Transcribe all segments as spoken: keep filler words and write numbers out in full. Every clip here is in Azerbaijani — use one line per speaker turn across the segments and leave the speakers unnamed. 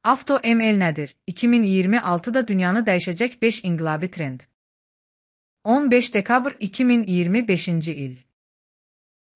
AutoML nədir? iki min iyirmi altıda dünyanı dəyişəcək beş inqilabi trend. on beş dekabr iki min iyirmi beşinci il.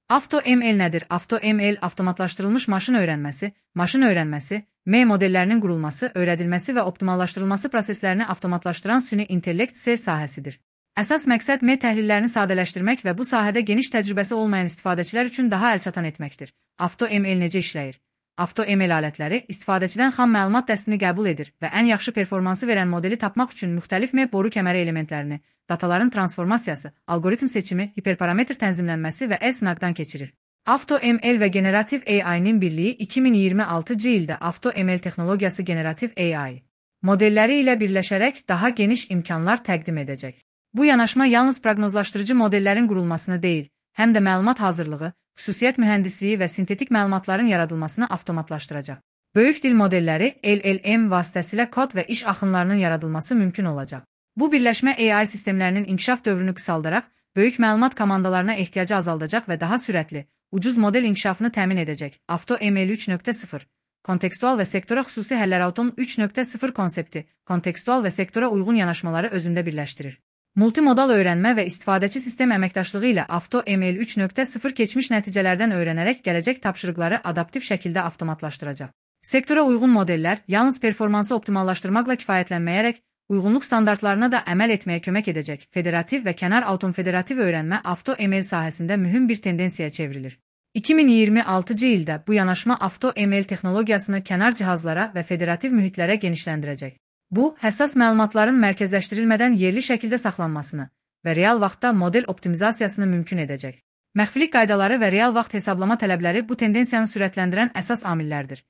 AutoML nədir? AutoML avtomatlaşdırılmış maşın öyrənməsi, maşın öyrənməsi, M modellərinin qurulması, öyrədilməsi və optimallaşdırılması proseslərini avtomatlaşdıran süni intellekt S sahəsidir. Əsas məqsəd M təhlillərini sadələşdirmək və bu sahədə geniş təcrübəsi olmayan istifadəçilər üçün daha əlçatan etməkdir. AutoML necə işləyir? AutoML alətləri istifadəçidən xam məlumat dəstini qəbul edir və ən yaxşı performansı verən modeli tapmaq üçün müxtəlif M boru kəməri elementlərini, dataların transformasiyası, algoritm seçimi, hiperparametr tənzimlənməsi və e-sınaqdan keçirir. AutoML və generativ A I-nin birliyi iki min iyirmi altıncı ildə AutoML texnologiyası generativ A I modelləri ilə birləşərək daha geniş imkanlar təqdim edəcək. Bu yanaşma yalnız proqnozlaşdırıcı modellərin qurulmasını deyil, həm də məlumat hazırlığı, xüsusiyyət mühəndisliyi və sintetik məlumatların yaradılmasını avtomatlaşdıracaq. Böyük dil modelləri L L M vasitəsilə kod və iş axınlarının yaradılması mümkün olacaq. Bu birləşmə A I sistemlərinin inkişaf dövrünü qısaldaraq, böyük məlumat komandalarına ehtiyacı azaldacaq və daha sürətli, ucuz model inkişafını təmin edəcək. AutoML üç nöqtə sıfır kontekstual və sektora xüsusi həllər Autom üç nöqtə sıfır konsepti, kontekstual və sektora uyğun yanaşmaları özündə birləşdirir. Multimodal öyrənmə və istifadəçi sistem əməkdaşlığı ilə AutoML üç nöqtə sıfır keçmiş nəticələrdən öyrənərək gələcək tapşırıqları adaptiv şəkildə avtomatlaşdıracaq. Sektora uyğun modellər yalnız performansı optimallaşdırmaqla kifayətlənməyərək, uyğunluq standartlarına da əməl etməyə kömək edəcək. Federativ və kənar automfederativ öyrənmə AutoML sahəsində mühüm bir tendensiyaya çevrilir. iki min iyirmi altıncı ildə bu yanaşma AutoML texnologiyasını kənar cihazlara və federativ mühitlərə genişləndirəcək. Bu, həssas məlumatların mərkəzləşdirilmədən yerli şəkildə saxlanmasını və real vaxtda model optimizasiyasını mümkün edəcək. Məxfilik qaydaları və real vaxt hesablama tələbləri bu tendensiyanı sürətləndirən əsas amillərdir.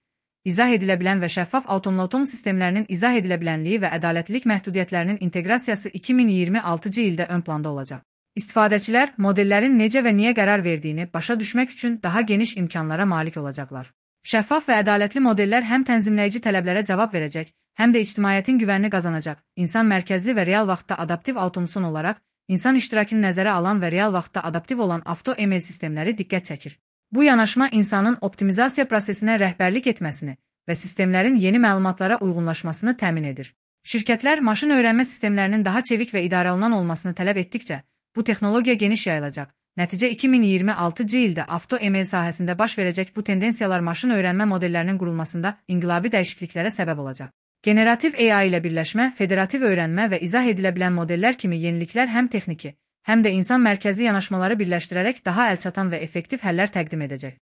İzah edilə bilən və şəffaf automlatom sistemlərinin izah edilə bilənliyi və ədalətlilik məhdudiyyətlərinin inteqrasiyası iki min iyirmi altıncı ildə ön planda olacaq. İstifadəçilər modellərin necə və niyə qərar verdiyini başa düşmək üçün daha geniş imkanlara malik olacaqlar. Şəffaf və ədalətli modellər həm tənzimləyici tələblərə cavab verəcək, həm də ictimaiyyətin güvənini qazanacaq. İnsan mərkəzli və real vaxtda adaptiv avtomason olaraq, insan iştirakını nəzərə alan və real vaxtda adaptiv olan AutoML sistemləri diqqət çəkir. Bu yanaşma insanın optimizasiya prosesinə rəhbərlik etməsini və sistemlərin yeni məlumatlara uyğunlaşmasını təmin edir. Şirkətlər maşın öyrənmə sistemlərinin daha çevik və idarəolunan olmasını tələb etdikcə, bu texnologiya geniş yayılacaq. Nəticə iki min iyirmi altıncı ildə AutoML sahəsində baş verəcək bu tendensiyalar maşın öyrənmə modellərinin qurulmasında inqilabi dəyişikliklərə səbəb olacaq. Generativ A I ilə birləşmə, federativ öyrənmə və izah edilə bilən modellər kimi yeniliklər həm texniki, həm də insan mərkəzli yanaşmaları birləşdirərək daha əlçatan və effektiv həllər təqdim edəcək.